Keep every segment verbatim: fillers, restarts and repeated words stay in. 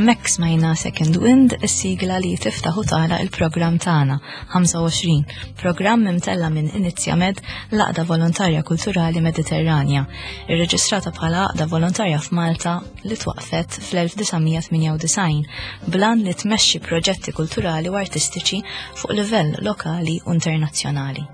Hemmhekk smajna Second Wind, is-sigla li tiftaħ u tagħlaq il-programm tagħna ħamsa u għoxrin, programm imtella minn Inizjamed, l-Għaqda Volontarja Kulturali Mediterranja, irreġistrata bħala għaqda volontarja f'Malta li twaqfet fl-elf disa' mija tmienja u disgħin bl-għan li tmexxi proġetti kulturali u artistiċi fuq livell lokali u internazzjonali.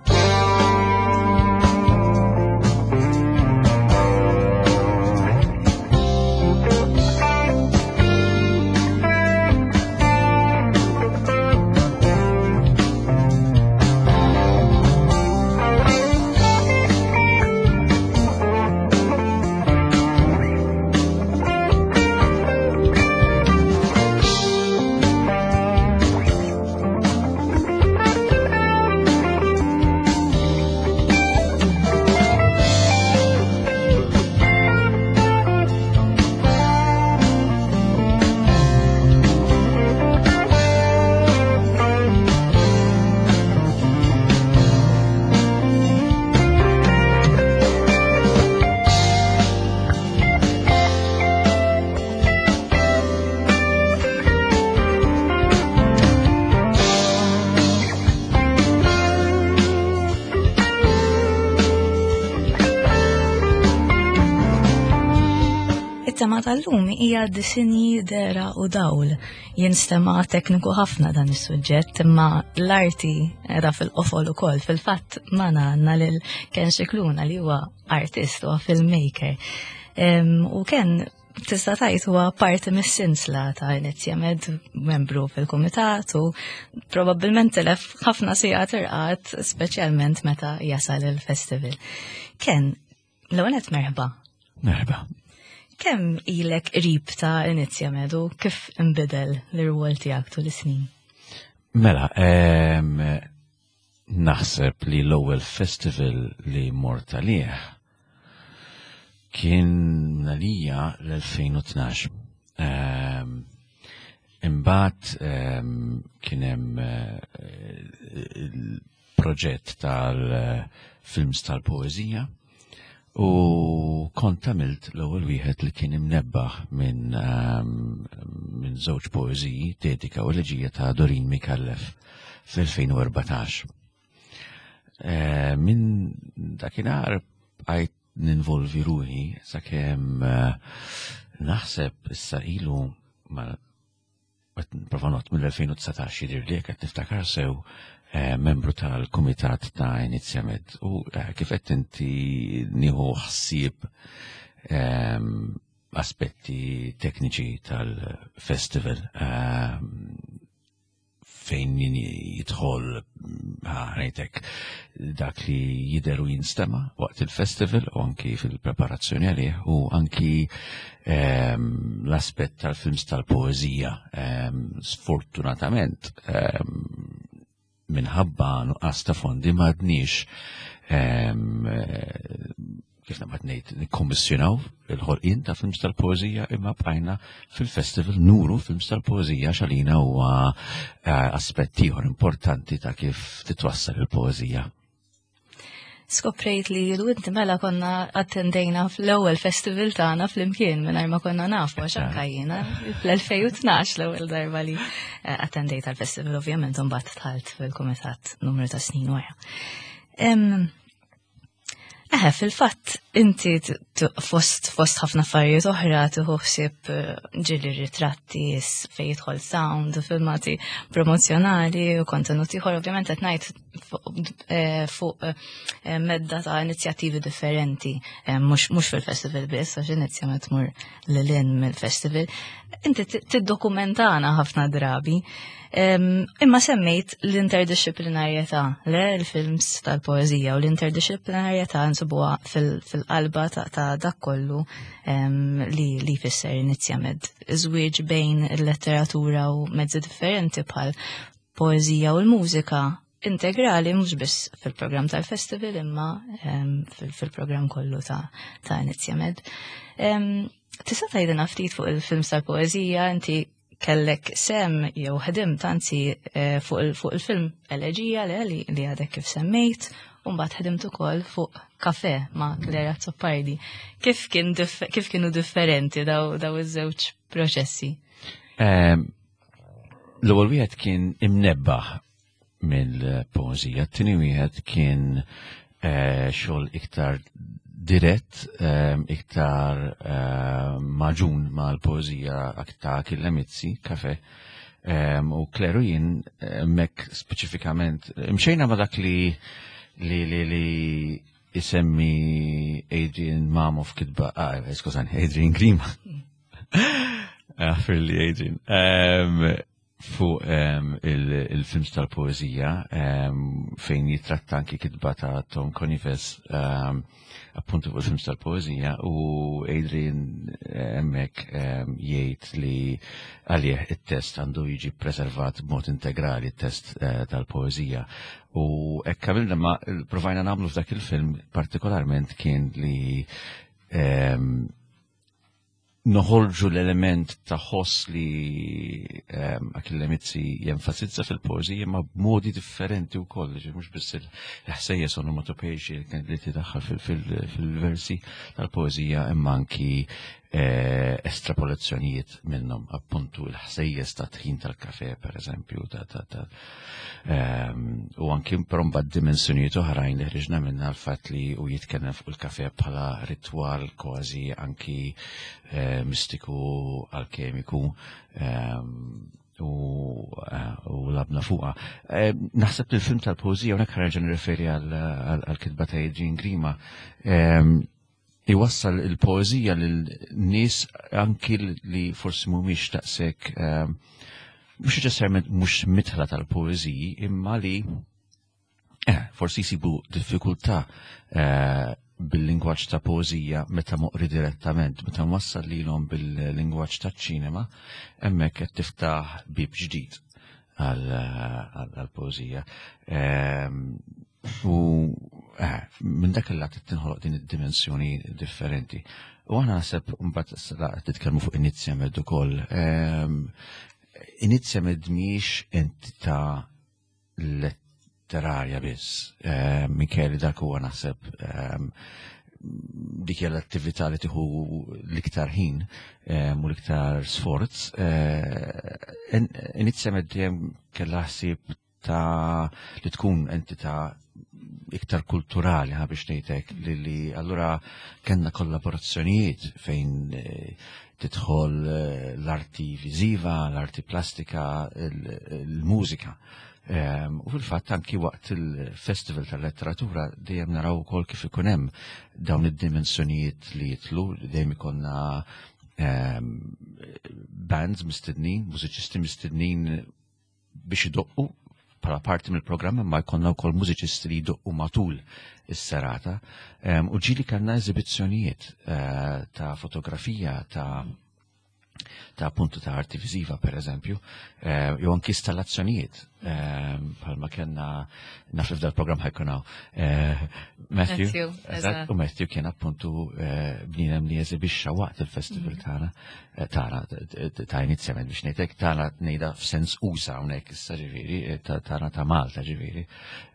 It-tema tal-lum hija disinji, dehra u dawl. Jinstema tekniku ħafna dan is-suġġett, imma l-arti era fil-qofol ukoll. Fil-fatt magħna għandna lil Ken Xikluna li huwa artist u filmmaker. U Ken, tista' tgħid, huwa parti mis-sinsla ta' Inizjamed, membru fil-kumitat u probabbilment tilef ħafna sigħat irqad, speċjalment meta jasal il-festival. Ken, l-ewwel merħba. Merħba. Kemm ilek qrib ta' Inizjamed u kif imbidel l-irwol tiegħek tul is-snin? Mela, em, naħseb li l-ewwel festival li mort għalih kien għalija l-elfejn u tnax. Em, Imbagħad em, kien hemm eh, il-proġett tal-films tal-poeżija u kont għamilt l-ewwel wieħed li kien imnebbaħ minn um, minn żewġ poeżiji, Dedika u Eleġija ta' Dorin Mikallef fl-elfejn u erbatax. Eh, Minn dakinhar bqajt ninvolvi ruħi sakemm eh, naħseb issa ilu ma qed nipprova ngħodd, mill-elfejn u dsatax jidher li qed niftakar sew, eh, membru tal-Kumitat ta' Inizjamed u eh, kif qed inti nieħu ħsieb ehm, aspetti tekniċi tal-festival ehm, fejn jidħol ħajtek dak li jidher u jinstema waqt il-festival u anki fil-preparazzjoni għalih u anki ehm, l-aspett tal-films tal-poezija. Ehm, sfortunatament, ehm, minħabba nuqqas ta' fondi m'għadniex, kif naqbad ngħid, nikkommissjonaw il-ħolqien ta' films tal-poeżija, imma bqajna fil-festival nuru films tal-poeżija għalina huwa eh, aspett ieħor importanti ta' kif titwassal il-poeżija. Skoprejt li lu inti mela konna attendejna fl-ewwel festival tagħna flimkien mingħajr ma konna nafu, għax anka jiena fl-elfejn u tnax l-ewwel darba li eh, attendejt għal-festival, ovvjament mbagħad dħalt fil-kumitat numru ta' snin wara. Eħe, fil-fatt, inti fost fost ħafna affarijiet oħra tieħu ħsieb eh, ġieli ritratti fejn jidħol sound u filmati promozzjonali u kontenuti ieħor, ovvjament qed ngħid eh, fuq eh, medda ta' inizjattivi differenti, mhux fil-festival biss, għax inizjament tmur lil hinn mill-festival. Inti tiddokumentana ħafna drabi. Imma semmejt l-interdisciplinarjetà, le l-films tal-poezija u l-interdisciplinarjetà nsibuha fil-qalba ta' dak kollu li li fisser Inizjamed. Żwieġ bejn il-letteratura u mezzi differenti bħal poezija u l-mużika integrali mhux biss fil-programm tal-festival imma fil-programm kollu ta' ta' Inizjamed. Tista' tgħidilna ftit fuq il-films tal-poezija? Inti kellek sehem jew ħdimt anzi eh, fuq il-film Eleġija li li għadek kif semmejt, u mbagħad ħdimt ukoll fuq Kafe ma' Clare Azzopardi. Kif kien kif kienu differenti daw daw iż-żewġ proċessi? Ehm, l-ewwel wieħed kien imnebbaħ mill-poeżija, t-tieni wieħed kien eh, xogħol iktar dirett, ehm, iktar ehm, magħġun mal-poeżija ta' Achille Mizzi, Kafe. Ehm, u Clare u jien mek speċifikament, mxejna ma dak li li li li isemmi Adrian Mamo f'kitba, ah, skużani, Adrian Grima. Aħfirli, Adrian. Fuq il-films tal-poezija fejn jitratta anki kitba ta' Tom Conives, appuntu fuq il-films tal-poezija, u Adrian hemmhekk jgħid li għalih it-test għandu jiġi preservat b'mod integrali, it-test eh, tal-poezija. U hekk għamilna, ma provajna nagħmlu f'dak il-film partikolarment kien li noħorġu l-element ta' ħoss li um, Achille Mizzi jenfasizza fil-poezija ma b'modi differenti u koll, mhux biss il-ħsejjes onomatopejxi li tidaħħal fil-versi tal-poezija imma anki eh, estrapolazzjonijiet minnhom, appuntu il-ħsejjes ta' tħin tal-kafe, per eżempju, ta' ta' ta' ehm, u anki però mbagħad dimensjonijiet oħrajn li ħriġna minna, l-fatt li u jitkellem fuq il-kafe bħala ritwal kważi anki eh, mistiku, alkemiku, ehm, u eh, u lgħabna fuqha. Eh, Naħseb li l-film tal-poezija, unek ħa nerġa' nirreferi għal-kitba ta' Adrian Grima, ehm, iwassal il-poezija lil nies anki li forsi mhumiex daqshekk ehm, mhux neċessarjament mhux midħla tal-poeziji, imma li eh, forsi jsibu diffikultà eh, bil-lingwaġġ ta' poezija meta moqri direttament, meta mwassal lilhom bil-lingwaġġ ta' ċinema, hemmhekk qed tiftaħ bib ġdid għal-poezija. Ehm, U eh, minn dak il-lat tinħoloq din id-dimensjoni differenti. U aħna naħseb mbagħad titkellmu fuq Inizjamed ukoll. Ehm, Inizjamed mhijiex entità letterarja biss. Ehm, Minkejja dak huwa naħseb ehm, dik hija l-attività li tieħu l-iktar ħin u l-iktar sforz. Eh, Inizjamed dejjem kellha ħsieb ta' li tkun entità iktar kulturali, ħa biex ngħidlek, li li allura kellna kollaborazzjonijiet fejn eh, tidħol eh, l-arti viżiva, l-arti plastika, il-mużika. Ehm, u fil-fatt anki waqt il-Festival tal-Letteratura dejjem naraw ukoll kif ikun hemm dawn id-dimensjonijiet li jitlu, dejjem ikollna ehm, bands mistednin, mużiċisti mistednin biex idoqqu bħala parti mill-programm, ma jkollna wkoll mużiċisti li jdoqqu matul is-serata. Ehm, u ġieli kellna eżibizzjonijiet eh, ta' fotografija, ta' Ta' puntu ta' arti viżiva, per eżempju, eh, jew anki installazzjonijiet, eh, bħalma kellna, naf li f'dal-programm ħa jkun hawn eh, Matthew, Matthew, eżatt, u Matthew kien appuntu bniedem li eżibixxa waqt il-festival mhm. tagħna, tagħna ta' inizjament, biex ngħidlek tagħna, ngħidha f'sens usa hawnhekk issa, ġifieri tagħna ta' Malta ġifieri.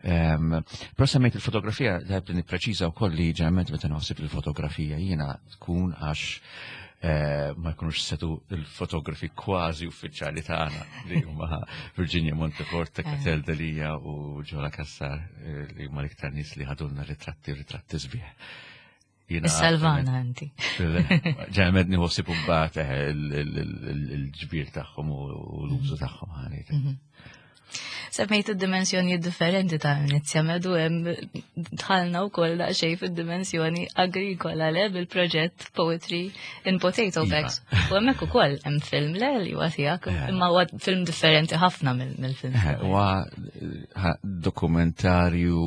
Però semmejt il-fotografija, tajb li nippreċiża wkoll li ġeneralment meta naħseb il-fotografija jiena tkun għax Eh, ma jkunux setu il-fotografi kważi uffiċjali tagħna li huma Virginia Monteforte, eh. Katel Delia u Ġola Kassar, eh, li huma l-iktar nies li ħadulna ritratti, ritratti sbieħ. Salvana inti. Ġeneralment nieħu mbagħad il-ġbir tagħhom u l-użu tagħhom ħanit. Mhm. Semmejt id-dimensjoni differenti ta' Inizjamed u hemm dħalna wkoll daqsxejn fid-dimensjoni agrikola, le, bil-proġett Poetry in Potato iva. Bags. U hemmhekk ukoll hemm film, le, li huwa tiegħek, eh. imma huwa film differenti ħafna mill-film. Eh, huwa dokumentarju,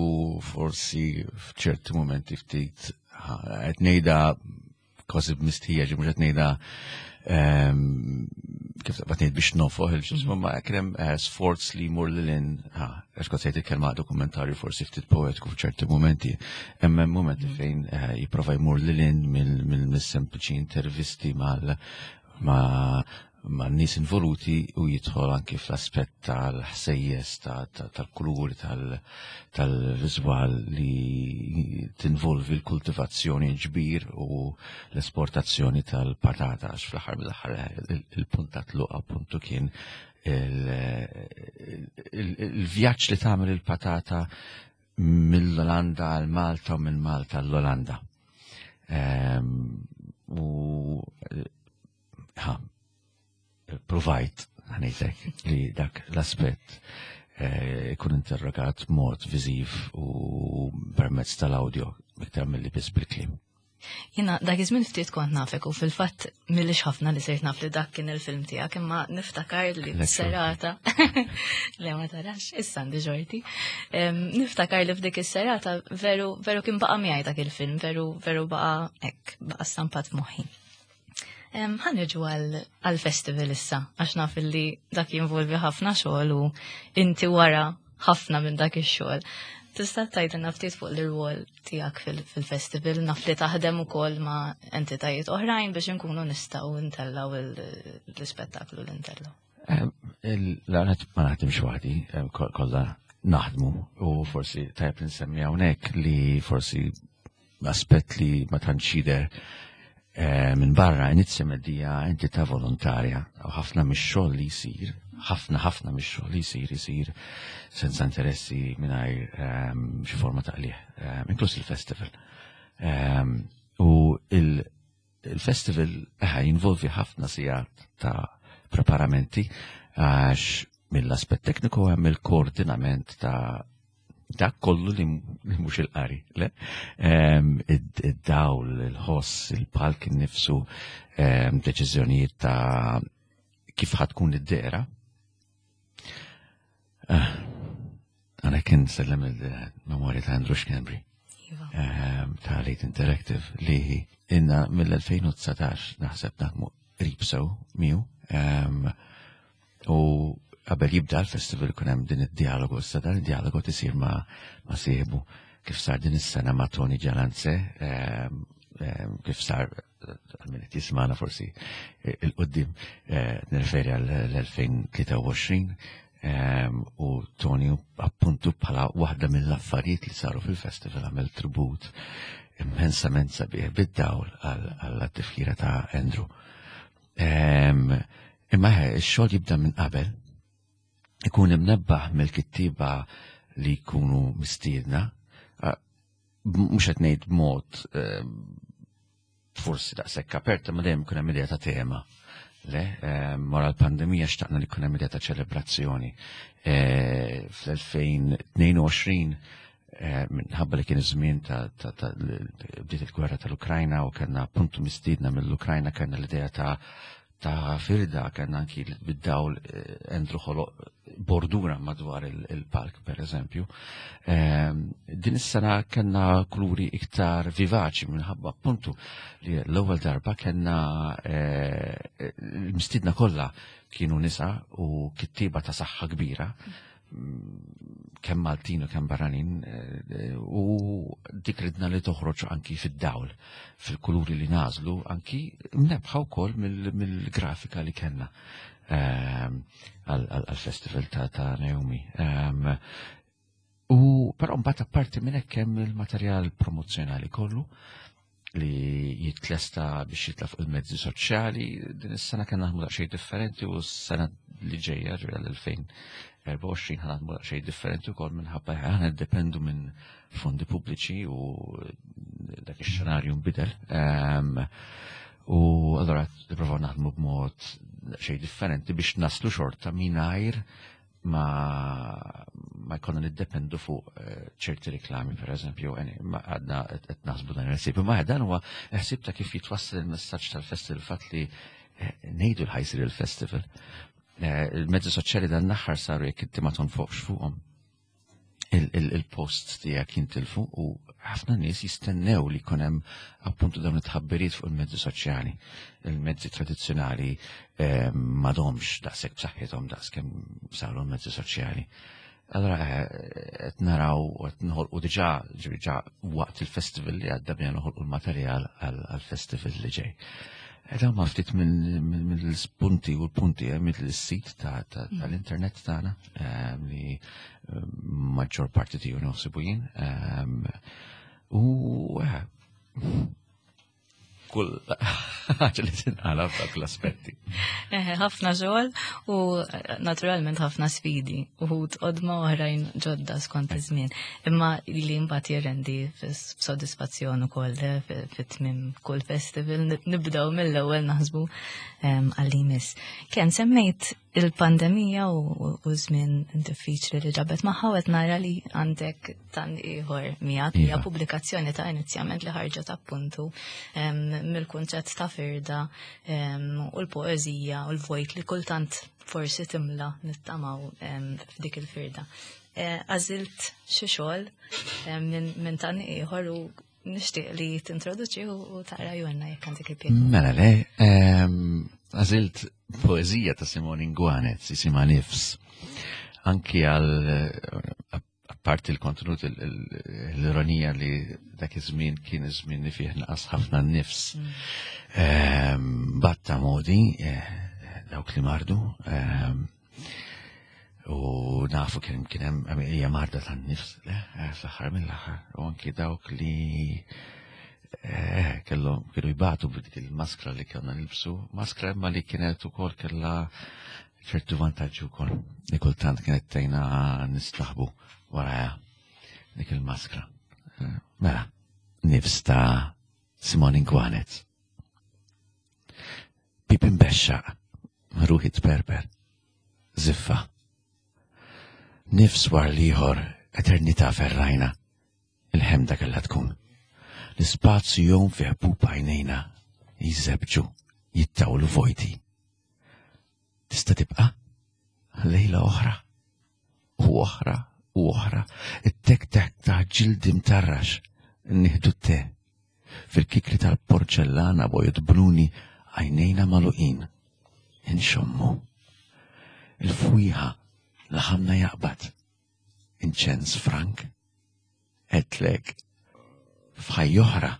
forsi f'ċerti momenti ftit, qed ngħidha kważi b'mistħija, ġi mhux qed ngħidha ehm, kif taqbad ngħid biex nofoħ il-ġismu, ma kien hemm eh, sforz li jmur lil hinn, għax kont sejt il-kelma dokumentarju forsi ftit poetiku f'ċerti momenti, hemm momenti mhm. fejn eh, jipprova jmur lil hinn mill-sempliċi intervisti mal ma' ma' nies involuti u jidħol anki fl-aspett tal-ħsejjes, tal-kuluri, tal-viżwal li tinvolvi l-kultivazzjoni, ġbir u l-esportazzjoni tal-patata, għax fl-aħħar mill-aħħar il-punt ta' tluq appuntu kien il-vjaġġ li tagħmel il-patata mill-Olanda għal Malta u minn Malta l-Olanda. Ehm, u ha, provajt, ħa ngħidlek, li dak l-aspett eh, ikun interrogat mod viżiv u permezz tal-audio iktar mill-li biss bil-kliem. Jiena dak iż-żmien ftit kont nafek u fil-fatt m'ilix ħafna li sirt naf li dak kien il-film tiegħek, imma niftakar li serata, le, ma tarax, issa għandi ġorti. Niftakar li f'dik is-serata veru veru kien baqa' miegħi dak il-film, veru veru baqa' hekk, baqa' stampat f'moħħi. Ħa niġu għal-festival issa, għax naf li dak jinvolvi ħafna xogħol u inti wara ħafna minn dak ix-xogħol. Tista' tgħidilna ftit fuq l-irwol tiegħek fil-festival, naf li taħdem ukoll ma' entitajiet oħrajn biex inkunu nistgħu ntellgħu l-ispettaklu li ntellgħu. L-għanet ma naħdimx waħdi, kollha naħdmu u forsi tajb nsemmi hawnhekk li forsi aspett li ma tantx jidher eh, minn barra, Inizjamed hija entità volontarja u ħafna mix-xogħol li jsir, ħafna ħafna mix-xogħol li jsir isir senza interessi, mingħajr ehm, xi forma ta' qligħ, ehm, inkluż il-festival. Ehm, u il-festival eh, jinvolvi ħafna sigħat ta' preparamenti, għax mill-aspett tekniku hemm il-koordinament ta' dak kollu li mhux il-qari, le? Id-dawl, il-ħoss, il-palk innifsu, deċiżjonijiet ta' kif ħa tkun id-dehra. Ah, għana kien sellem il-memorja ta' Andrew Schembri Iva. ta' Late Interactive li inna mill-elfejn u dsatax naħseb naħdmu qrib sew miegħu. U qabel jibda l-festival kun hemm din id-dialogu, issa dan id-dialogu tisir ma' ma' sieħbu, kif sar din is-sena ma' Tony Gialanze, kif sar għal min jismana forsi 'il quddiem, nirreferi għal elfejn u tlieta u għoxrin, u Tony appuntu bħala waħda mill-affarijiet li saru fil-festival għamel tribut immensament sabiħ bid-dawl għall-tifkira ta' Andrew. Imma ix-xogħol jibda minn qabel, ikun imnebbaħ mill-kittiba li jkunu mistiedna, mhux qed ngħid b'mod forsi daqshekk aperta, ma dejjem ikun hemm idea ta' tema. Le, wara l-pandemija xtaqna li jkun hemm idea ta' ċelebrazzjoni. Fl-elfejn u tnejn u għoxrin, minħabba li kien iż-żmien ta' bdiet il-gwerra tal-Ukrajna u kellna appuntu mistiedna mill-Ukrajna, kellna l-idea ta' ta' firda, kellna anki bid-dawl eh, Andrew ħoloq bordura madwar il-palk, per eżempju. Ehm, din is-sena kellna kuluri iktar vivaċi minħabba appuntu li l-ewwel darba kellna eh, l-mistidna kollha kienu nisa u kittiba ta' saħħa kbira, kemm Maltin u kemm barranin, eh, u dik ridna li toħroġ anki fid-dawl, fil-kuluri li nażlu, anki mnebbħa wkoll mill-grafika li kellna ehm, għal-festival ta' Naomi. Ehm, u però mbagħad apparti minn hekk hemm il-materjal promozzjonali kollu li jitlesta biex jitla fuq il-mezzi soċjali. Din is-sena kellna naħdmu daqsxejn differenti u s-sena li ġejja, ġejja l-elfejn u erbgħa u għoxrin, ħa naħdmu daqsxejn differenti wkoll minħabba aħna niddependu minn fondi pubbliċi u dak ix-xenarju nbidel. Ehm, u allora nipprovaw naħdmu b'mod daqsxejn differenti biex naslu xorta mingħajr ma ma jkollna niddependu fuq eh, ċerti reklami, per eżempju, ma għadna qed naħsbu dan il-ħsieb. Ma dan huwa ħsieb ta' kif jitwassal il-messaġġ tal-festival, fatt li eh, ngħidu l ħa jsir il-festival. Eh, il-mezzi soċjali dan l-aħħar saru jekk inti ma tonfoqx fuqhom, il-post tiegħek jintilfu u ħafna nies jistennew li jkun hemm appuntu dawn it-tħabbiriet fuq il-mezzi soċjali. Il-mezzi tradizzjonali eh, m'għadhomx daqshekk b'saħħithom daqskemm saru l-mezzi soċjali. Allora eh, qed naraw u qed noħolqu diġà, diġà waqt il-festival li għadda bina noħolqu l-materjal għal-festival li ġej. Dawn ma ftit mill-spunti u l-punti eh, mill-sit tal-internet tagħna eh, li eh, maġġor parti tiegħu naħsibu jien. U kull ħaġa li tinqala f'dak l-aspetti. Ħafna xogħol u naturalment ħafna sfidi, uħud qodma, oħrajn ġodda skont iż-żmien. Imma li mbagħad jirrendi f'sodisfazzjon ukoll fit-tmiem kull festival nibdew mill-ewwel naħsbu għal jmiss. Ken, semmejt il-pandemija u żmien diffiċli li ġabet magħha, qed nara li għandek tan ieħor miegħek, hija pubblikazzjoni ta' inizjament li ħarġet appuntu mill-kunċett ta' firda u l-poeżija u l-vojt li kultant forsi timla, nittamaw, f'dik il-firda. Għażilt xi xogħol minn tan ieħor u nixtieq li tintroduċi u taqra jwenna jekk għandek il-pjaċir. Mela le, għażilt poeżija ta' Simone Inguanez, jisimha Nifs. Anki għal apparti l-kontenut, l-ironija li dak iż-żmien kien iż-żmien li fih naqas ħafna n-nifs. Batta modi, dawk li mardu, u nafu kien kien hemm hija marda tan-nifs, le, fl-aħħar mill-aħħar, u anki dawk li kellhom kienu jbatu b'dik il-maskra li kellna nilbsu, maskra imma li kienet ukoll kellha ċertu vantaġġi wkoll, li kultant kienet tgħinna nistaħbu warajha dik il-maskra. Mela, Nifs ta' Simone Inguanez. Bieb imbexxaq, ruħi tperper, ziffa. Nifs wara l-ieħor, eternità ferrajna, il-ħemda kellha tkun. L-ispazju jgħum fi ħbub għajnejna, jiżebġu, jittawlu vojti. Tista' tibqa' lejla oħra, u oħra, u oħra, it-tek-tek ta' ġildi mtarrax, nieħdu te. Fil-kikri tal-porċellana bojod bruni, għajnejna magħluqin, inxommu. Il-fwieħa laħamna jaqbad, inċens frank, għedtlek, f'ħajja oħra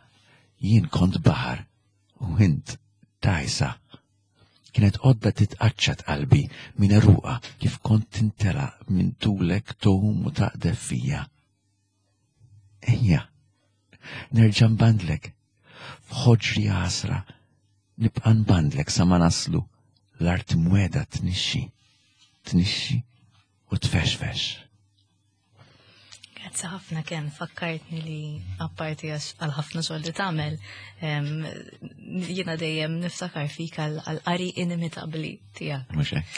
jien kont baħar u int dgħajsa. Kienet għodda titqaċċat qalbi minn għeruqha kif kont tintela minn tulek tgħum u taqdef fija. Ejja, nerġa' nbandlek, f'ħoġri għasra, nibqa' nbandlek sa ma naslu l-art mweda tnixxi, tnixxi u tfexfex. Grazzi ħafna, Ken, fakkartni li apparti għal ħafna xogħol li tagħmel, jiena dejjem niftakar fik għal qari inimitabbli tiegħek. Mhux hekk.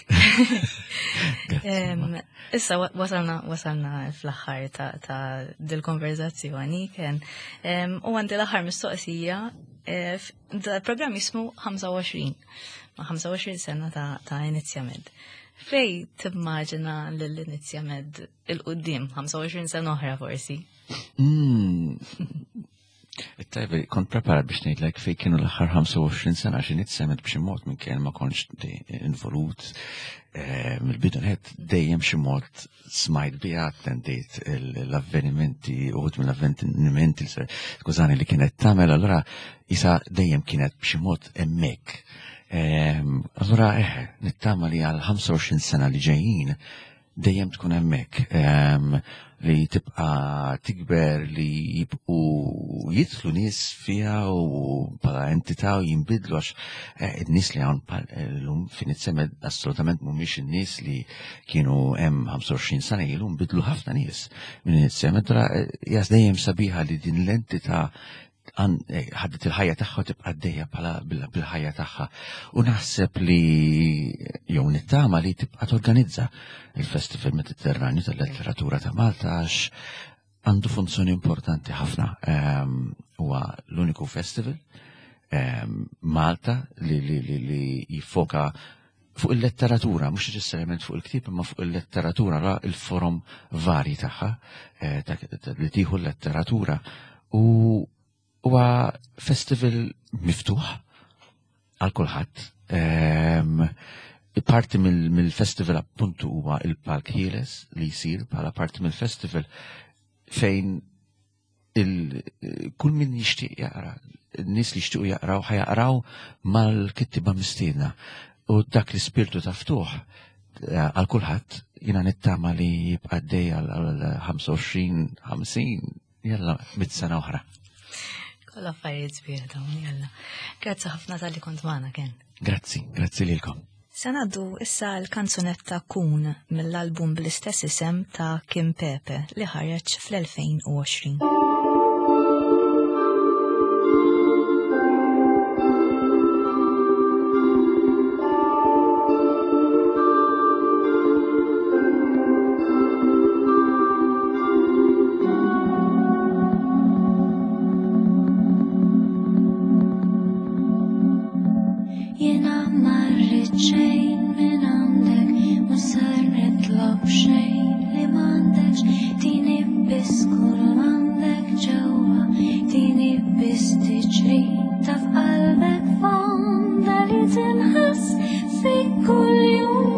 Issa wasalna wasalna fl-aħħar ta' dil-konverzazzjoni, Ken. U għandi l-aħħar mistoqsija. Da programm jismu ħamsa u għoxrin, ma' ħamsa u għoxrin sena ta', ta Inizjamed. Fejn timmaġina l-Inizjamed 'il quddiem, ħamsa u għoxrin sena oħra forsi? Mm. Tajba, kont preparat biex ngħidlek fejn kienu l-aħħar ħamsa u għoxrin sena, għax Inizjamed b'xi mod minn kien ma kontx involut eh, mill-bidu nett, dejjem xi mod smajt biha, attendejt l-avvenimenti, uħud mill-avvenimenti, skużani, li kienet tagħmel, allura isa dejjem kienet b'xi mod hemmhekk. Ehm, allura eh, nittama li għal ħamsa u għoxrin sena li ġejjin dejjem tkun hemmhekk, ehm, li tibqa' tikber, li jibqu jidħlu nies fiha u bħala entità u jinbidlu, għax eh, in-nies li hawn llum f'Inizjamed assolutament mhumiex in-nies li kienu hemm ħamsa u għoxrin sena ilu. Nbidlu ħafna nies minn Inizjamed. Jas dejjem sabiħa li din l-entità eh, ħadet il-ħajja tagħha u tibqa' għaddejja bħala bil-ħajja tagħha. U naħseb li jew nittama li tibqa' torganizza il-Festival Mediterranju tal-Letteratura ta' Malta, għax għandu funzjoni importanti ħafna. Ehm, huwa l-uniku festival ehm, Malta li, li, li, li jiffoka fuq il-letteratura, mhux neċessarjament fuq il-ktieb, imma fuq il-letteratura, ra il-forom varji tagħha eh, li tieħu l-letteratura. U huwa festival miftuħ għal kulħadd. Ehm, parti mill-festival appuntu huwa il-Palk Ħieles li jsir bħala parti mill-festival, fejn kull min jixtieq jaqra, n-nies li jixtiequ jaqraw ħa jaqraw mal-kittiba mistiedna. U dak l-ispirtu ta' ftuħ eh, għal kulħadd jiena nittama li jibqa' għaddej għal ħamsa u għoxrin, ħamsin, jalla mitt sena oħra. Kollha affarijiet sbieħ dawn, jalla. Grazzi ħafna talli kont magħna, Ken. Grazzi, grazzi lilkom. Se ngħaddu issa l-kanzunetta Kun mill-album bl-istess isem ta' Kim Pepe li ħareġ fl-elfejn u għoxrin. Jiena ma rrid xejn minn għandek, mhux ser nitlob xejn li m'għandekx, tini biss kull m'għandek ġewwa, tini biss tiċrita f'qalbek fonda li tinħass fi kuljum.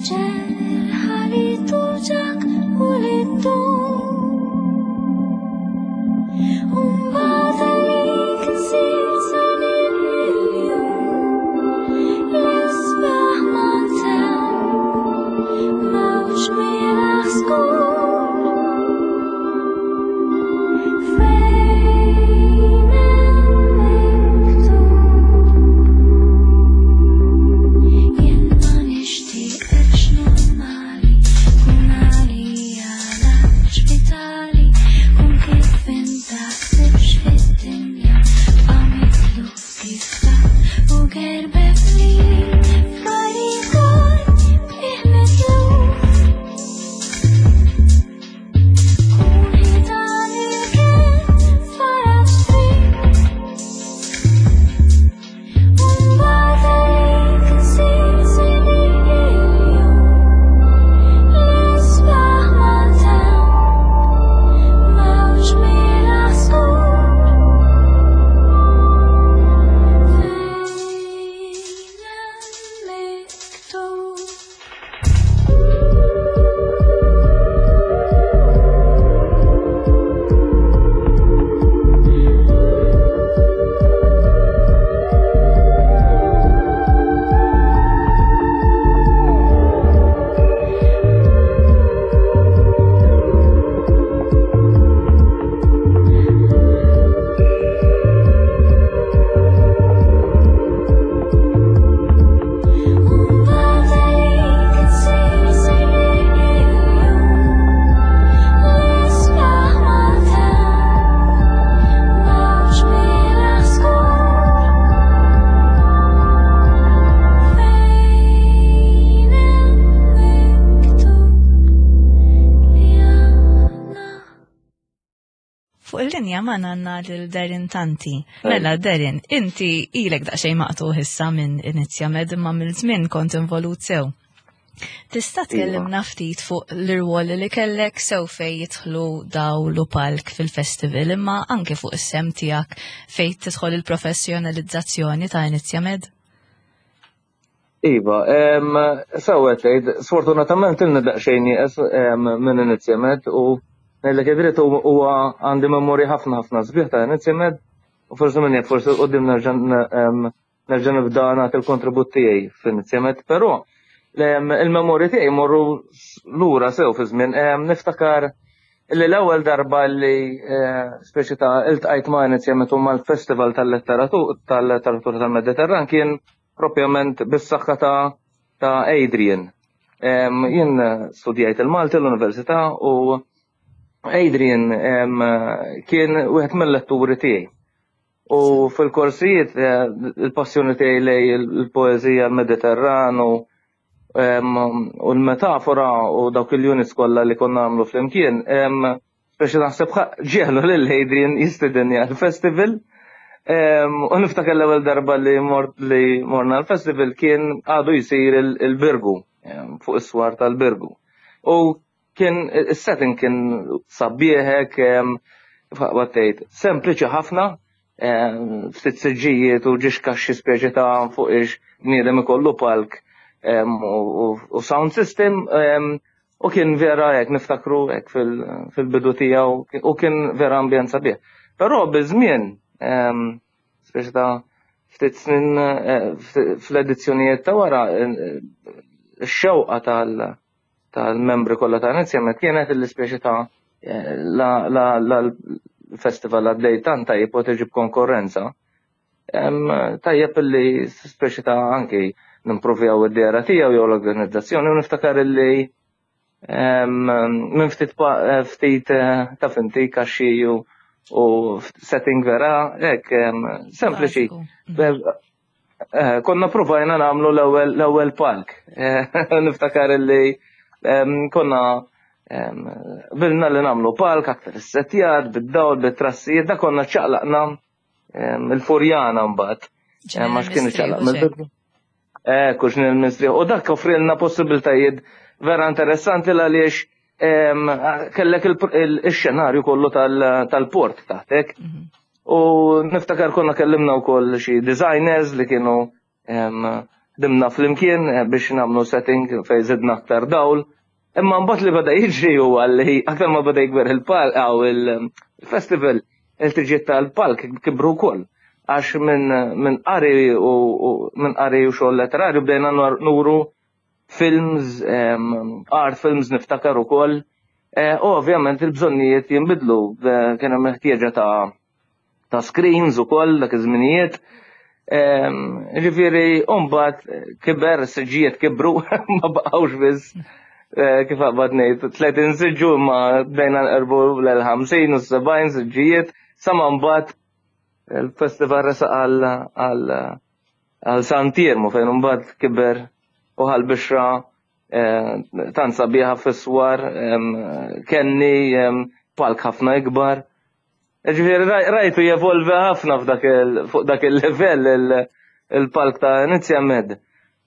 Ġerħa li tuġgħek u li ddum. Umbagħad għalik nsir snin il-jum, l-isbaħ ma ntemm, mewġ mielaħ skur. Fejn hemm miktub linja magħna għandna lil Darren Tanti. Mela, Darren, inti ilek daqsxejn maqtugħ issa minn Inizjamed, imma mill-żmien kont involut sew. Tista' tkellimna ftit fuq l-irwol li kellek sew fej jidħlu dawl u palk fil-festival, imma anke fuq is-sehem tiegħek fej tidħol il-professjonalizzazzjoni ta' Inizjamed? Iva, sewwa tgħid, sfortunatament ilni daqsxejn nieqes minn Inizjamed u ngħidlek id-dritt, huwa għandi memorji ħafna ħafna sbieħ ta' Inizjamed u forsi minn jaf, forsi quddiem nerġa' nerġa' nibda nagħti l-kontribut tiegħi f'Inizjamed, però il-memorji tiegħi morru lura sew fi żmien. Niftakar li l-ewwel darba li eh, speċi ta' iltqajt ma' Inizjamed u mal-Festival tal-Letteratura tal-Letteratura tal-Mediterran kien propjament bis-saħħa ta' ta' Adrian. Jien studjajt il-Malti l-Università u Adrian kien wieħed mill-letturi tiegħi. U fil-korsijiet eh, il-passjoni tiegħi lej il-poeżija, l-Mediterran u u l-metafora u dawk il-units kollha li konna nagħmlu flimkien, speċi naħseb ġiegħlu lil Adrian jistedinni għal-festival. U niftakar l-ewwel darba li mort li morna l-festival kien għadu jsir il-Birgu, fuq is-swar tal-Birgu. U kien is-setting kien sabiħek, tgħid, sempliċi ħafna, ftit siġġijiet u ġiex kaxxi speċi ta' fuq ix bniedem ikollu palk u sound system, u kien vera hekk niftakru hekk fil-bidu tiegħu u kien vera ambjent sabiħ. Però biż-żmien, speċi ta' ftit snin eh, fl-edizzjonijiet ta' wara, x-xewqa tal-membri kollha ta' Inizjamed kienet l-ispeċi ta' eh, la l-festival għaddej tant tajjeb u tiġi b'konkurrenza. Tajjeb li speċi ta' anki nimprovjaw id-dehra tiegħu jew l-organizzazzjoni, u niftakar li minn ftit ftit eh, ta' finti kaxxi u setting vera hekk sempliċi. Eh, konna provajna nagħmlu l-ewwel palk. Niftakar li konna bilna li nagħmlu palk aktar issettjat, bid-dawl, bit-trassijiet, da konna ċaqlaqna il-Furjana mbagħad. Ma x'kien ċaqlaq mill-bidu. Eh, kux nil-mistrieħ. U dak offrilna possibiltajiet vera interessanti għaliex kellek il-xenarju kollu tal-port taħtek. Mhm. U niftakar konna kellimna wkoll xi designers li kienu ħdimna flimkien eh, biex nagħmlu setting fejn zidna aktar dawl. Imma mbagħad li beda jiġri huwa li aktar ma beda jikber il-palk aw il-festival, il-ħtiġiet tal-palk kibru wkoll. Għax minn min qari u minn qari u xogħol letterarju bdejna nuru films, art films niftakar ukoll. Eh, u ovvjament il-bżonnijiet jinbidlu, eh, kien hemm ħtieġa ta' ta' screens ukoll dak iż-żminijiet. Ġifieri mbagħad kiber, siġġijiet kibru, ma baqgħux biss eh, kif qabad ngħid tletin siġġu, imma bdejna nqerbu l-ħamsin u sebgħin siġġijiet, sa ma mbagħad il-festival resaq għal għal Sant'Iermu, fejn mbagħad kiber u ħa l-bixra eh, tant sabiħa fis-swar kenni palk ħafna ikbar. Ġifieri rajtu jevolvi ħafna f'dak fuq dak il-level il-palk ta' Inizjamed.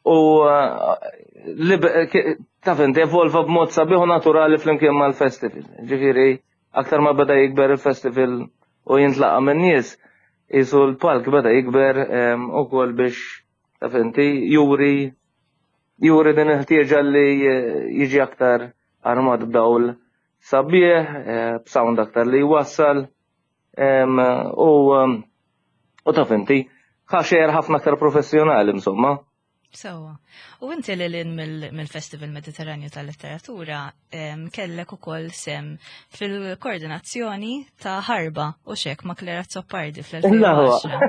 U eh, taf inti, evolva b'mod sabiħ u naturali flimkien mal-festival. Ġifieri aktar ma beda jikber il-festival u jintlaqa minn nies, jisu l-palk beda jikber ukoll biex, taf inti, juri juri din il-ħtieġa li jiġi aktar armat b'dawl sabiħ, eh, b'sound aktar li jwassal, u u taf inti, ħa xejn ħafna aktar professjonali insomma. Sewwa. U inti li lin mill-Festival Mediterranju tal-Letteratura kellek ukoll sehem fil-koordinazzjoni ta' Ħarba u xek ma' Clare Azzopardi fl-elfejn u għaxra.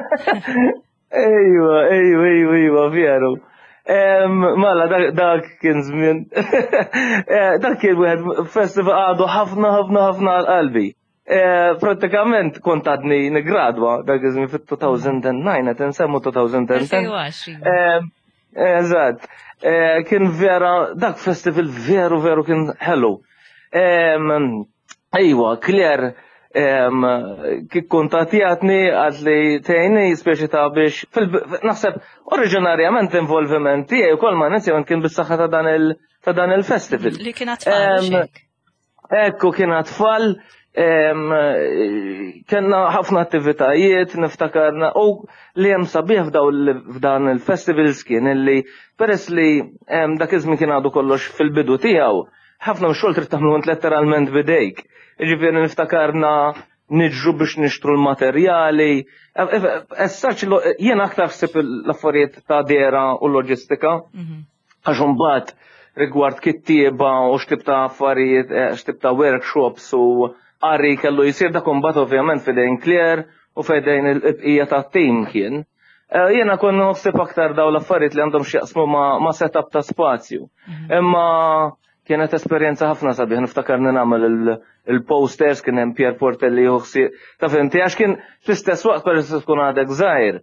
Ejwa, ejwa, ejwa, ejwa, veru. Mela, dak kien żmien. Eh, dak kien wieħed festival għadu ħafna ħafna ħafna għal qalbi. Eh, pratikament kont għadni nigradwa dak iż-żmien fit-elfejn u disa', qed insemmu elfejn u għaxra. Eżatt. Eh, kien vera, dak festival veru veru kien ħelu. Ejwa, Clare, Kif kuntattjatni għad li tgħinni speċi ta' biex naħseb oriġinarjament involviment tiegħi wkoll ma' Inizjamed kien bis-saħħa ta' dan il ta' dan il-festival. Li kien tfal. Ekku kien tfal, kellna ħafna attivitajiet, niftakarna, u li hemm sabiħ f'dan il-festivals kien illi peress li dak iż-żmien kien għadu kollox fil-bidu tiegħu, ħafna xogħol trid tagħmlu int letteralment bidejk. Jiġifieri niftakarna niġru biex nixtru l-materjali. As such, jien aktar ħsib l-affarijiet ta' dehra u loġistika. Għax imbagħad rigward kittieba u x'tip ta' affarijiet, x'tip ta' workshops u qari kellu jisir dak imbagħad ovvjament f'idejn Claire u f'idejn il-bqija tat-tim kien. Jiena kont naħseb aktar daw l-affarijiet li għandhom x'jaqsmu ma' setup ta' spazju. Imma kienet esperjenza ħafna sabiħ, niftakarni nagħmel il-posters, kien hemm Pierre Portelli juħsi, ta' fimti, għax kien fl-istess waqt peress tkun għadek żgħir.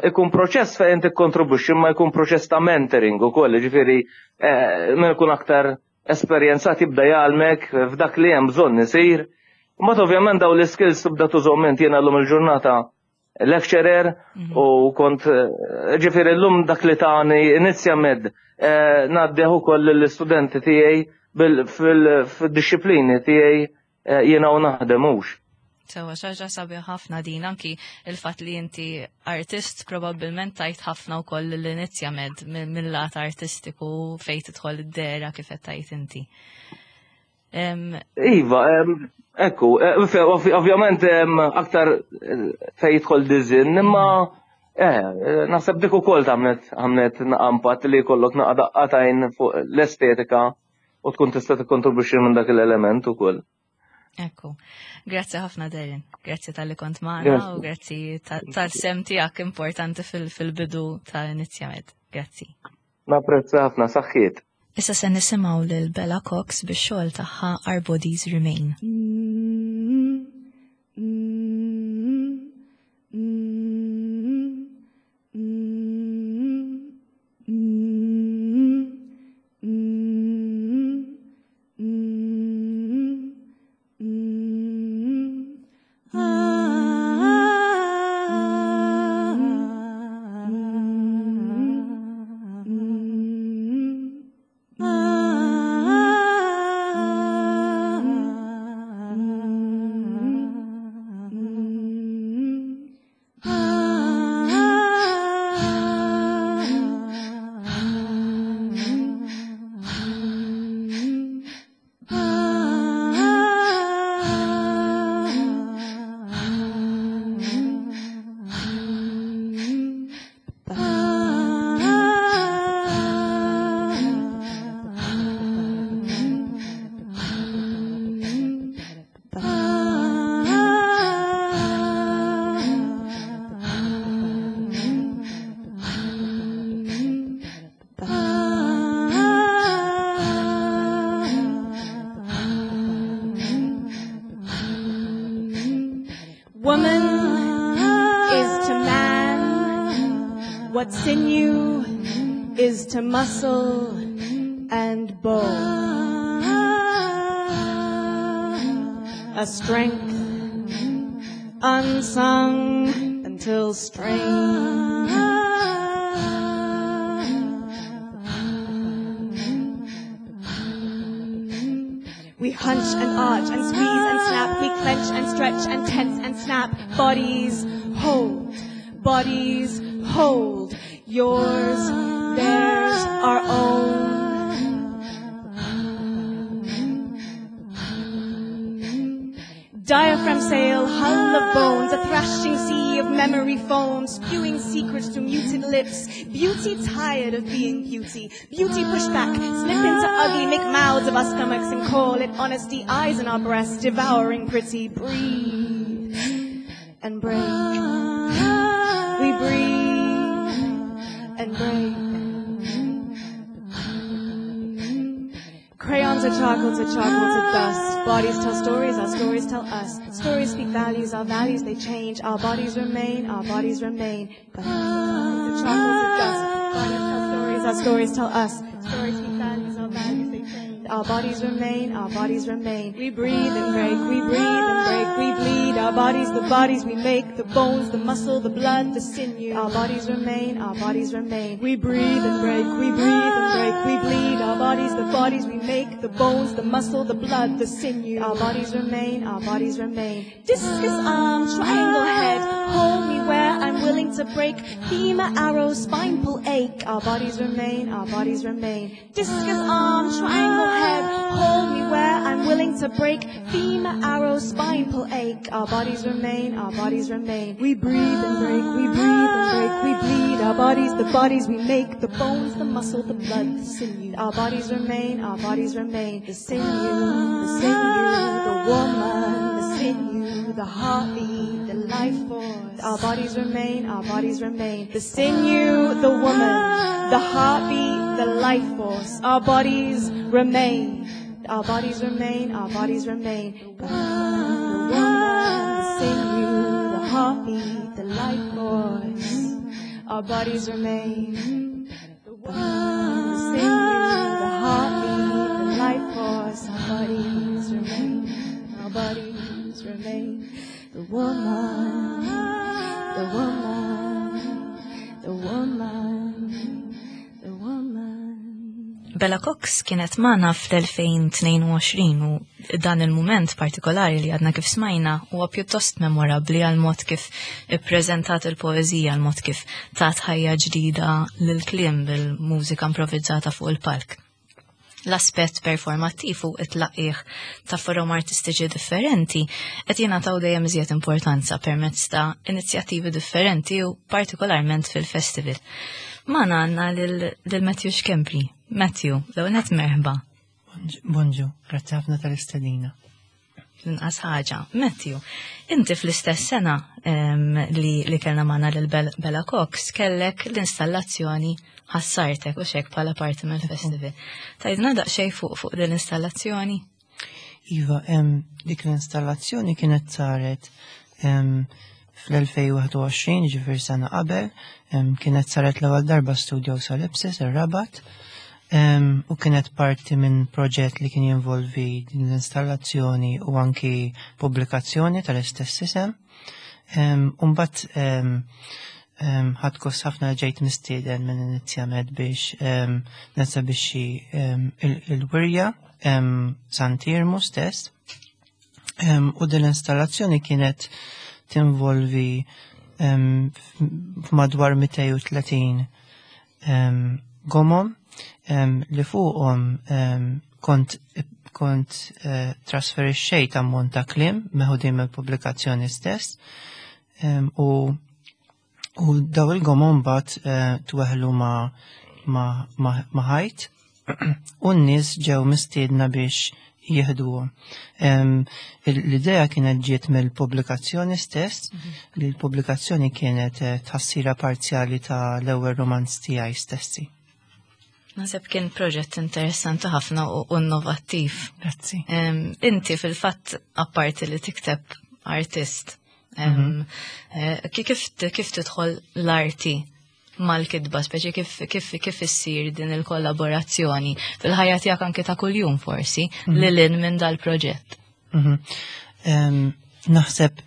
Ikun proċess fejn tikkontribwixxi, imma jkun proċess ta' mentoring ukoll, ġifieri min ikun aktar esperjenzat jibda jgħalmek f'dak li hemm bżonn isir. Mbagħad ovvjament daw l-skills tibda tużhom int. Jiena llum il-ġurnata lecturer u kont ġifieri llum dak li tani Inizjamed ngħaddih ukoll lill-istudenti tiegħi fil-disciplini tiegħi jiena u naħdem hux. Sewa, xaġa sabiħ ħafna din, anki il-fatt li inti artist probabbilment tajt ħafna wkoll l-Inizjamed mill-lat artistiku fejn tidħol id-dehra kif qed tajt inti. Iva, ekku, ovvjament aktar fejn jidħol design, imma naħseb dik ukoll għamlet għamlet impatt li jkollok naqa daqqatajn fuq l-estetika u tkun tista' tikkontribwixxi minn dak l-element ukoll. Ekku, grazzi ħafna Darren, grazzi tal-li kont magħna u grazzi tal-sehem tiegħek importanti fil-bidu ta' Inizjamed. Grazzi. Napprezza ħafna, saħħiet. Issa se nisimgħu lil Bella Cox bix-xogħol tagħha Our Bodies Remain. Woman is to man what sinew is to muscle and bone. A strength unsung until strained. We hunch and arch and squeeze and snap. We clench and stretch and tense and snap. Bodies hold, bodies hold. Yours, theirs, our own. Diaphragm sail, hull of bones, a thrashing sea of memory foam, spewing secrets through muted lips. Beauty tired of being beauty. Beauty pushed back, slip into ugly, make mouths of our stomachs and call it honesty. Eyes in our breasts, devouring pretty. Breathe and break. We breathe and break. Crayon to charcoal to charcoal to dust. Bodies tell stories, our stories tell us. Stories speak values, our values they change. Our bodies remain, our bodies remain. But to charcoal to dust. Bodies tell stories, our stories tell us. Stories speak values, our values they change. remain. Our bodies remain, our bodies remain. We breathe and break, we breathe and break, we bleed. Our bodies, the bodies we make, the bones, the muscle, the blood, the sinew. Our bodies remain, our bodies remain. We breathe and break, we breathe and break, we bleed. Our bodies, the bodies we make, the bones, the muscle, the blood, the sinew. Our bodies remain, our bodies remain. Discus arm, triangle head, hold me where I'm willing to break. Femur arrow, spine pull ache. Our bodies remain, our bodies remain. Discus arm, triangle head, hold me where I'm willing to break. Femur arrow, spine pull ache. Our bodies remain, our bodies remain. We breathe and break, we breathe and break, we bleed. Our bodies, the bodies we make, the bones, the muscle, the blood, the sinew. Our bodies remain, our bodies remain. The sinew, the sinew, the woman, the sinew, the heartbeat, the life force. Our bodies remain, our bodies remain. The sinew, the woman, the heartbeat, the life force. Our bodies remain. Our bodies remain, our bodies remain. The woman, the sinew, the heartbeat, the life force. Our bodies remain. The woman, the sinew, the heartbeat, the life force. Our bodies remain. Our bodies remain. The woman, the woman, the woman, the woman. Bella Cox kienet magħna fl-elfejn tnejn u għoxrin u dan il-moment partikolari li għadna kif smajna huwa pjuttost memorabli għal mod kif ippreżentat il-poeżija, għal mod kif tat ħajja ġdida lil kliem bil-mużika improvvizzata fuq il-palk. L-aspett performattiv u it-tlaqqigħ ta' forom artistiċi differenti qed jingħataw dejjem iżjed importanza permezz ta' inizjattivi differenti u partikolarment fil-festival. Magħna għandna lil Matthew Schembri. Matthew, l-ewwel merħba. Bonġu, grazzi ħafna tal-istedina. L-inqas ħaġa. Matthew, inti fl-istess sena em, li, li kellna magħna lil Bella Cox kellek l-installazzjoni Ħassartek u xek bħala parti mill-festival. Tgħidilna daqsxejn fuq fuq din l-installazzjoni? Iva, em, dik l-installazzjoni kienet saret em, fl-elfejn u wieħed u għoxrin, ġifieri sena qabel, em, kienet saret l-ewwel darba Studio Solipsis, ir-Rabat, em, u kienet parti minn proġett li kien jinvolvi din l-installazzjoni u anki pubblikazzjoni tal-istess isem. Em, Umbat em, em, ħadt gost ħafna ġejt mistieden minn Inizjamed biex em, nesebixxi em, il- il-wirja em, Sant'Iermu stess. Em, U din l-installazzjoni kienet tinvolvi em, f'madwar mitejn u tletin em, gomom em, li fuqhom em, kont kont eh, trasferixxejt ammont ta' kliem meħudin mill-pubblikazzjoni stess em, u u daw il-gomom mbagħad eh, tweħlu ma' ma' ma' ma' ħajt u n-nies ġew mistiedna biex jieħduhom. Em, L-idea kienet ġiet mill-pubblikazzjoni stess, li l-pubblikazzjoni kienet eh, tħassira parzjali ta' l-ewwel romanz tiegħi stessi. Naħseb kien proġett interessanti ħafna u u innovattiv. Grazzi. Em, Inti fil-fatt apparti li tikteb artist, em, eh, ki- kif kif tidħol l-arti mal-kitba, speċi kif kif kif issir din il-kollaborazzjoni fil-ħajja tiegħek anke ta' kuljum forsi lil hinn minn dal-proġett? Mhm. Em, Naħseb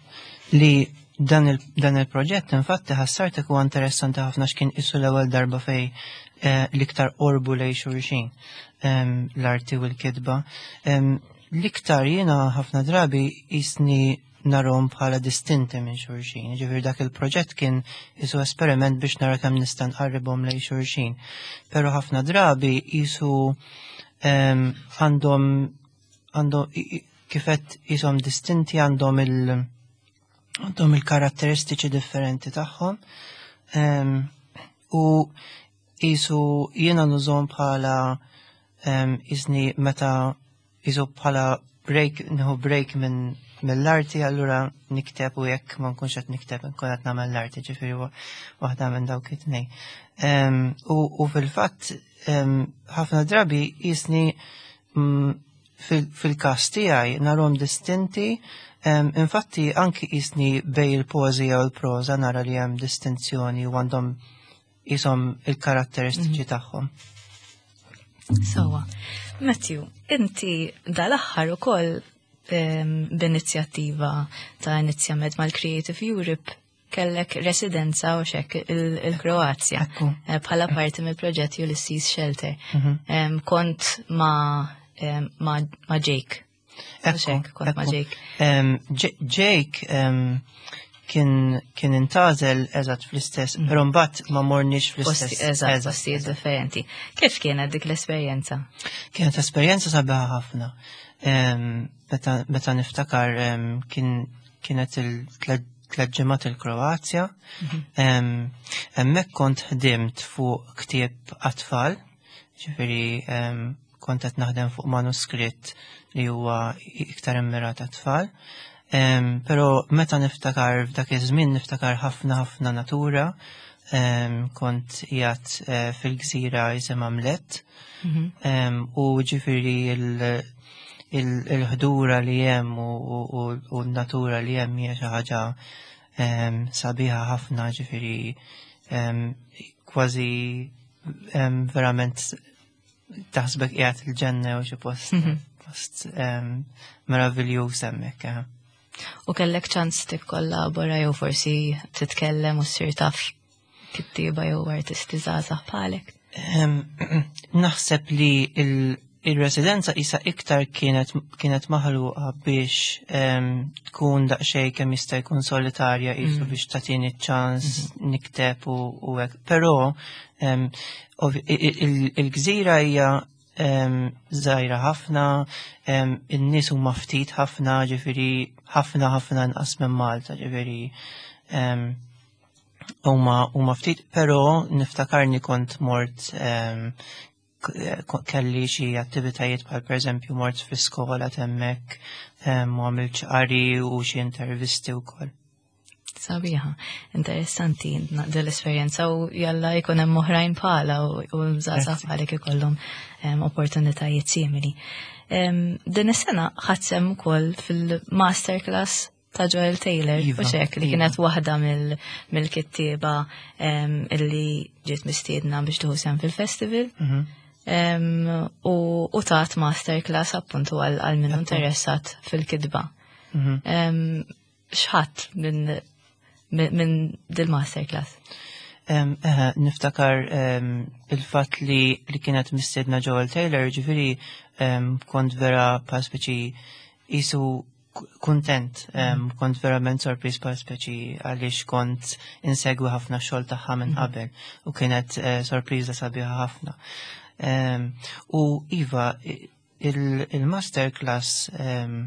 li dan il- dan il-proġett infatti Ħassartek huwa interessanti ħafna x'kien isu l-ewwel darba fej eh, l-iktar qorbu lej xulxin em, l-arti u l-kitba. Em, L-iktar jiena ħafna drabi jisni narahom bħala distinti minn xulxin. Ġifieri dak il-proġett kien isu esperiment biex nara kemm nista' nqarribhom lej xulxin. Però ħafna drabi isu em, għandhom għandhom i- i- kifet jisom distinti, għandhom il għandhom il-karatteristiċi differenti tagħhom. Em, u jisu jiena nużahom bħala em, jisni meta jisu bħala break, nieħu break minn mill-arti, allura nikteb u jekk ma nkunx qed nikteb nkun qed nagħmel l-arti, ġifieri wa- waħda minn dawk it-tnejn. Em, U u fil-fatt em, ħafna drabi jisni mm, fil- fil-kas tiegħi narahom distinti, em, infatti anki jisni bej il-poezija u l-proza nara li hemm distinzjoni u għandhom jisom il-karatteristiċi tagħhom. Sewwa. Matthew, inti dal-aħħar ukoll b'inizjattiva ta' Inizjamed mal-Creative Europe kellek residenza u xek il-Kroazja eh, bħala parti mill-proġett Ulysses Shelter. Mhm. Kont ma' ma' Jake. Ekku, kont ma' Jake. Jake kien kien intgħażel eżatt fl-istess, mm. però mbagħad ma morniex fl-istess. Eżatt, postijiet differenti. Kif kienet dik l-esperjenza? Kienet esperjenza sabiħa ħafna. Meta niftakar kien kienet il-tliet ġimgħat il-Kroazja. Mhm. Hemmhekk kont ħdimt fuq ktieb għat-tfal, ġifieri kont qed naħdem fuq manuskritt li huwa iktar immirat għat-tfal. Però meta niftakar f'dak iż-żmien niftakar ħafna ħafna natura, kont qiegħed eh, fil-gżira jisimha Mljet mhm. u ġifieri il-ħdura li hemm u n-natura li hemm hija xi ħaġa sabiħa ħafna ġifieri kważi verament taħsbek qiegħed il-ġenna u xi post mhm. post meraviljuż hemmhekk. Eh. U kellek ċans tikkollabora jew forsi titkellem u ssir taf kittieba jew artisti żgħażagħ bħalek? Naħseb li il-residenza isa iktar kienet kienet maħluqa biex tkun daqsxejn kemm jista' jkun solitarja qisu mm. biex tagħtini ċans mm-hmm. nikteb u hekk. Però il-gżira hija żgħira ħafna, in-nies huma ftit ħafna, ġifieri ħafna ħafna inqas minn Malta, ġifieri huma huma ftit, però niftakarni kont mort kelli xi attivitajiet bħal pereżempju mort fi skola hemmhekk u għamilt qari u xi intervisti wkoll. Sabiħa, interessanti dell-esperjenza u jalla jkun hemm oħrajn bħala u żgħażagħ bħalek ikollhom opportunitajiet simili. Din is-sena ħadt sehem ukoll fil-masterclass ta' Joel Taylor, Iva, u xek li iva. kienet waħda mill-kittieba illi ġiet mistiedna biex tieħu sehem fil-festival. Mhm. U u tat masterclass appuntu għal għal min interessat fil-kitba. Mhm. X'ħadt minn minn dil-masterclass? Em, eħe, niftakar em, il-fatt li, li kienet mistiedna Joel Taylor, ġifieri em, kont vera pa speċi qisu kuntent, em, kont verament sorpriż pa speċi għaliex kont insegwi ħafna xogħol tagħha minn qabel u kienet eh, sorpriża sabiħa ħafna. Em, U Iva, il- il-masterclass em,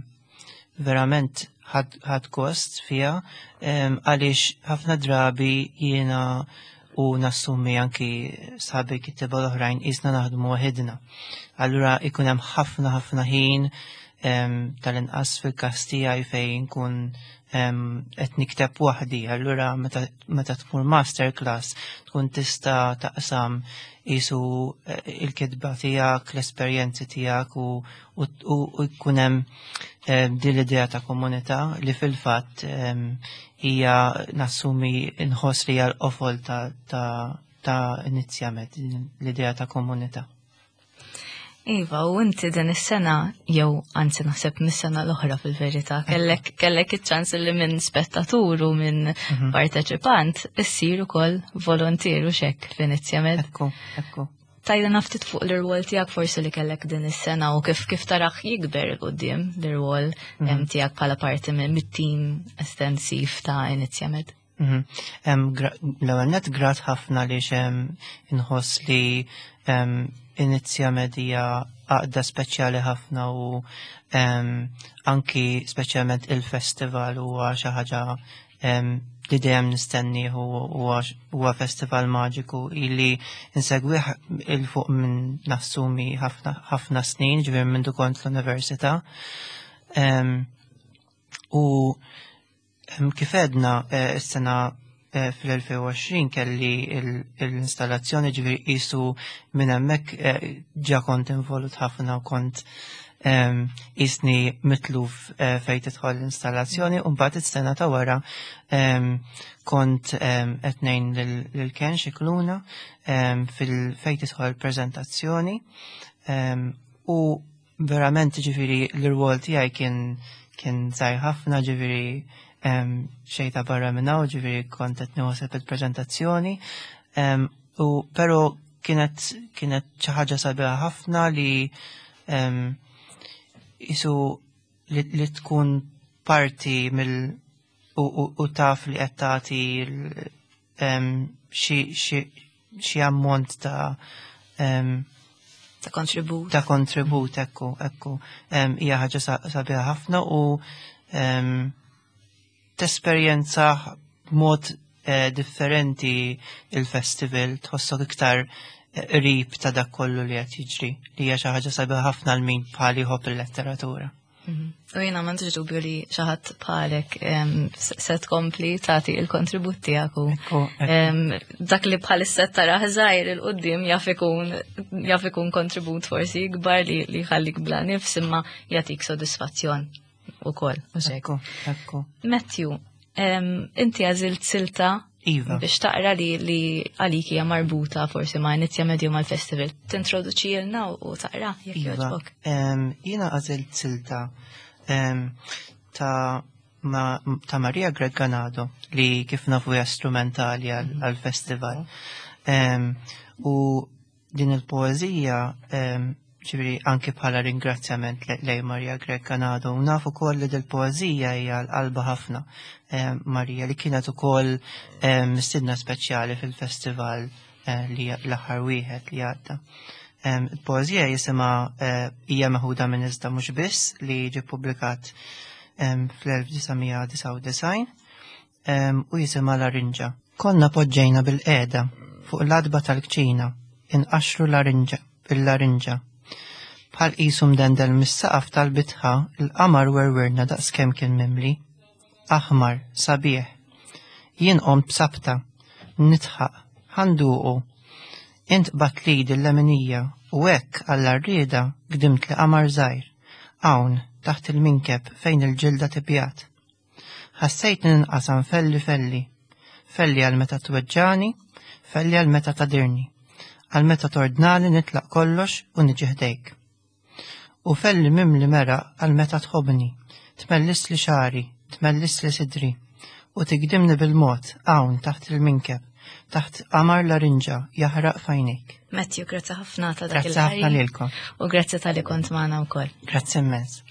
verament ħadt gost fiha em, għaliex ħafna drabi jiena u nassumi anki sħabi kittieba l-oħrajn qisna naħdmu waħidna. Allura ikun hemm ħafna ħafna ħin em, tal-inqas fil-każ tiegħi fejn nkun em, qed nikteb waħdi. Allura meta meta tmur masterclass tkun tista' taqsam qisu eh, il-kitba tiegħek, l-esperjenzi tiegħek u u u jkun hemm eh, din l-idea ta' komunità li fil-fatt em, hija nassumi nħoss li hija l-qofol ta' ta' ta' Inizjamed, l-idea ta' komunità. Iva, u inti din is-sena, jew anzi naħseb mis-sena l-oħra fil-verità, kellek kellek iċ-ċans li minn spettatur u minn parteċipant issir ukoll volontier u xek f'Inizjamed. Ekku, ekku. Tgħidilna ftit fuq l-irwol tiegħek forsi li kellek din is-sena u kif kif tarah jikber 'il quddiem l-irwol em, tiegħek bħala parti minn mit-tim estensiv ta' Inizjamed. Mhm. Em, gra- L-ewwel net grat ħafna li xem inħoss li em, Inizjamed hija għaqda speċjali ħafna u em, anki speċjalment il-festival huwa xi ħaġa em, li dejjem nistennih u huwa huwa festival maġiku illi insegwih 'il fuq minn nassumi ħafna ħafna snin, ġifieri minn kont l-università. Em, U em, kif għedna eh, is-sena eh, fl-elfejn u għoxrin kelli il- l-installazzjoni, ġifieri qisu minn hemmhekk eh, ġa kont involut ħafna u kont Jisni mitluf eh, fejn tidħol l-installazzjoni, u mbagħad is-sena ta' wara kont qed ngħin lil Ken Scicluna fil-fejn tidħol preżentazzjoni, u verament ġifieri l-rwol tiegħi kien kien żgħir ħafna, ġifieri xejn ta' barra minn hawn, ġifieri kont qed nieħu il-preżentazzjoni, u però kienet kienet xi ħaġa sabiħa ħafna li isu li, li tkun parti mill u, u, u taf li qed tagħti xi ammont ta' ta' kontribut. Ta' kontribut, ekku, ekku. Hija ħaġa sabiħa ħafna u tesperjenza b'mod eh, differenti il-festival, tħossok iktar qrib ta' dak kollu li qed jiġri, li hija xi ħaġa sabiħa ħafna għal min bħali jħobb il-letteratura. U jiena m'għandix dubju li xi ħadd bħalek se tkompli tagħti il-kontribut tiegħek u dak li bħalissa tara żgħir il quddiem jaf ikun jaf ikun kontribut forsi ikbar li li jħallik bla nifs imma jagħtik sodisfazzjon ukoll. Ekku, ekku. Matthew, inti għażilt silta Iva. biex taqra li li għalik hija marbuta forsi ma' Inizjamed jew mal-festival. Tintroduċilna u taqra jekk Iva. jogħġbok. Jiena għażilt silta ta' ta' Maria Grech Ganado li kif nafu hija strumentali għal-festival. U din il-poeżija ġifieri anki bħala ringrazzjament lej Maria Grech Ganado. U nafu wkoll li dil-poeżija hija l-qalba ħafna Maria, li kienet ukoll mistiedna speċjali fil-festival li l-aħħar wieħed li għadda. Il-poeżija jisimha hija meħuda minn Iżda Mhux Biss li ġie ppubblikat fl-elf disa' mija disgħa u disgħin u jisimha Larinġa. Konna poġġejna bil-qiegħda fuq l-adba tal-kċina inqaxxru larinġa il-larinġa. Bħal qisu mdendel mis-saqaf tal-bitħa, il-qamar werwirna daqskemm kien mimli. Aħmar, sabiħ. Jien qomt b'sabta, nitħaq, ħanduqu. Int qbadt lidi l-leminija u hekk għall-arrieda gdimt li qamar żgħir. Hawn, taħt il-minkeb fejn il-ġilda tibjat. Ħassejt ninqasam felli felli. Felli għal meta tweġġani, felli għal meta tadirni. Għal meta tordnali nitlaq kollox u niġi ħdejk. U felli mimli mera għal meta tħobni, tmellis li xari, tmellis li sidri, u tigdimni bil-mod hawn taħt il-minkeb, taħt qamar larinġa jaħraq fajnejk. Matthew, grazzi ħafna ta' dak Grazzi ħafna il-ħari. lilkom. U grazzi tal-li kont magħna wkoll. Grazzi immens.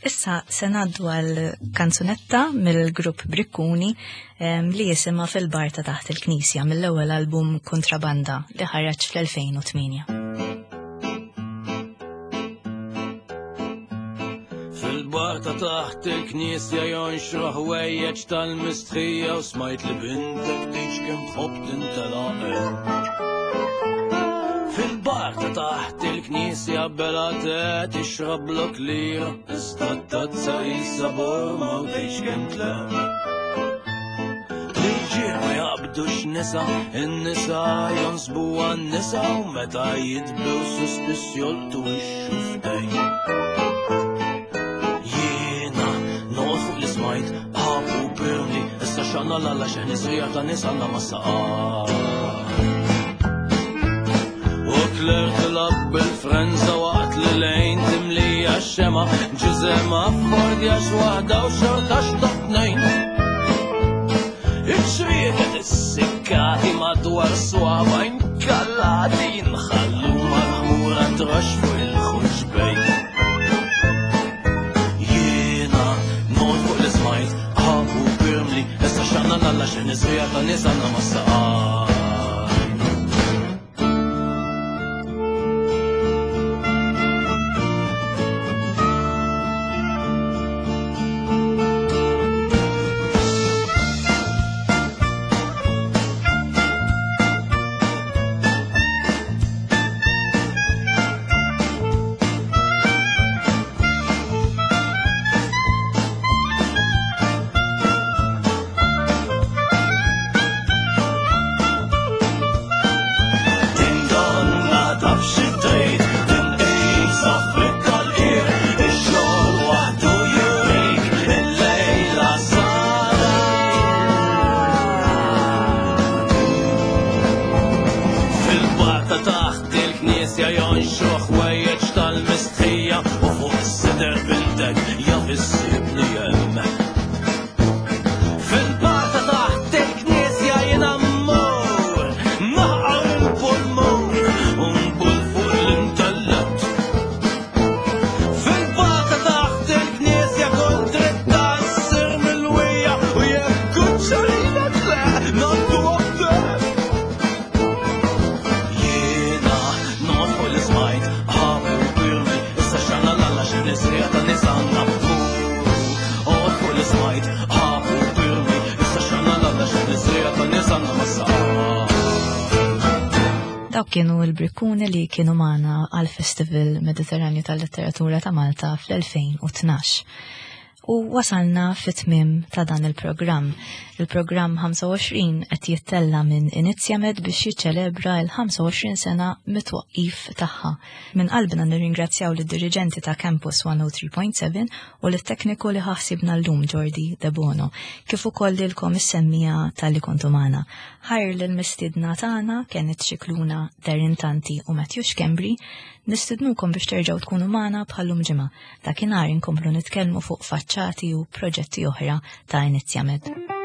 Issa se ngħaddu għal kanzunetta mill-grupp Brikkuni li jisimha Fil-Bar ta' Taħt il-Knisja mill-ewwel album Kontrabanda li ħareġ fl-elfejn u tmienja. Fil-bar ta' taħt il-knisja jonxru ħwejjeġ tal-mistħija u smajt li bintek tgħix kemm tħobb tintelaq. Fil-bar ta' taħt il-knisja bela te tixrab lok lira, iżda t-tazza jisa borma u tgħix kemm tleq. L-irġiel ma jaqbdux nisa, in-nisa jonsbu għan-nisa u meta jitbew suspiss jolqtu x-xuftejn. Jiena noqgħod fuq li smajt, ħabu pirmli, issa xanna l-alla xeħni srija ta' nisa għandna ma saqar. U Kler tilab bil-frenza waqt li lejn timlija x-xema, ġiżema affordja x'waħda u xorta x'ta' tnejn. Iċ-ċrieket issikkati madwar swaba inkallati jinħallu mal-ħmura trax fuq il-ħuġbejn. Jiena noqgħod fuq li smajt, ħabu pirmli, issa xanna l-alla xeħni srija ta' nies għandna ma saqar. il-knisja jonxu ħwejjeġ tal-mistħija u fuq is-sider bintek jaf issibni hemm. Fil-bata taħt il-knisja jiena mmur, naqar il-pulmun u nbul fuq l-intellett. Fil-bata taħt il-knisja kull dritta ssir milwija u jekk kuċċarina tleq ngħaddu għabdek. Jiena noqgħod fuq l-ismajt, ħabi u pirmi, issa xana l-alla xi nisrija ta' nisanna. Oqgħod fuq l-ismajt, ħabi u pirmi, issa xana l-alla xi nisrija ta' nisanna ma sa. Dawk kienu l-Brikkuni li kienu magħna għal-Festival Mediterranju tal-Letteratura ta' Malta fl-elfejn u tnax. U wasalna fit-tmiem ta' dan il-programm. Il-programm ħamsa u għoxrin qed jittella minn Inizjamed biex jiċċelebra l-ħamsa u għoxrin sena mit-twaqqif tagħha. Minn qalbna nirringrazzjaw lid-diriġenti ta' Campus one oh three point seven u lit-tekniku li ħassibna llum Jordi De Bono, kif ukoll lilkom is-semmija tal-li kontu magħna. Ħajr lill-mistiedna tagħna Kenneth Scicluna, Darren Tanti u Matthew Schembri, nistidnukom biex terġgħu tkunu magħna bħallum ġimgħa. Dakinhar inkomplu nitkellmu fuq faċċati u proġetti oħra ta' Inizjamed.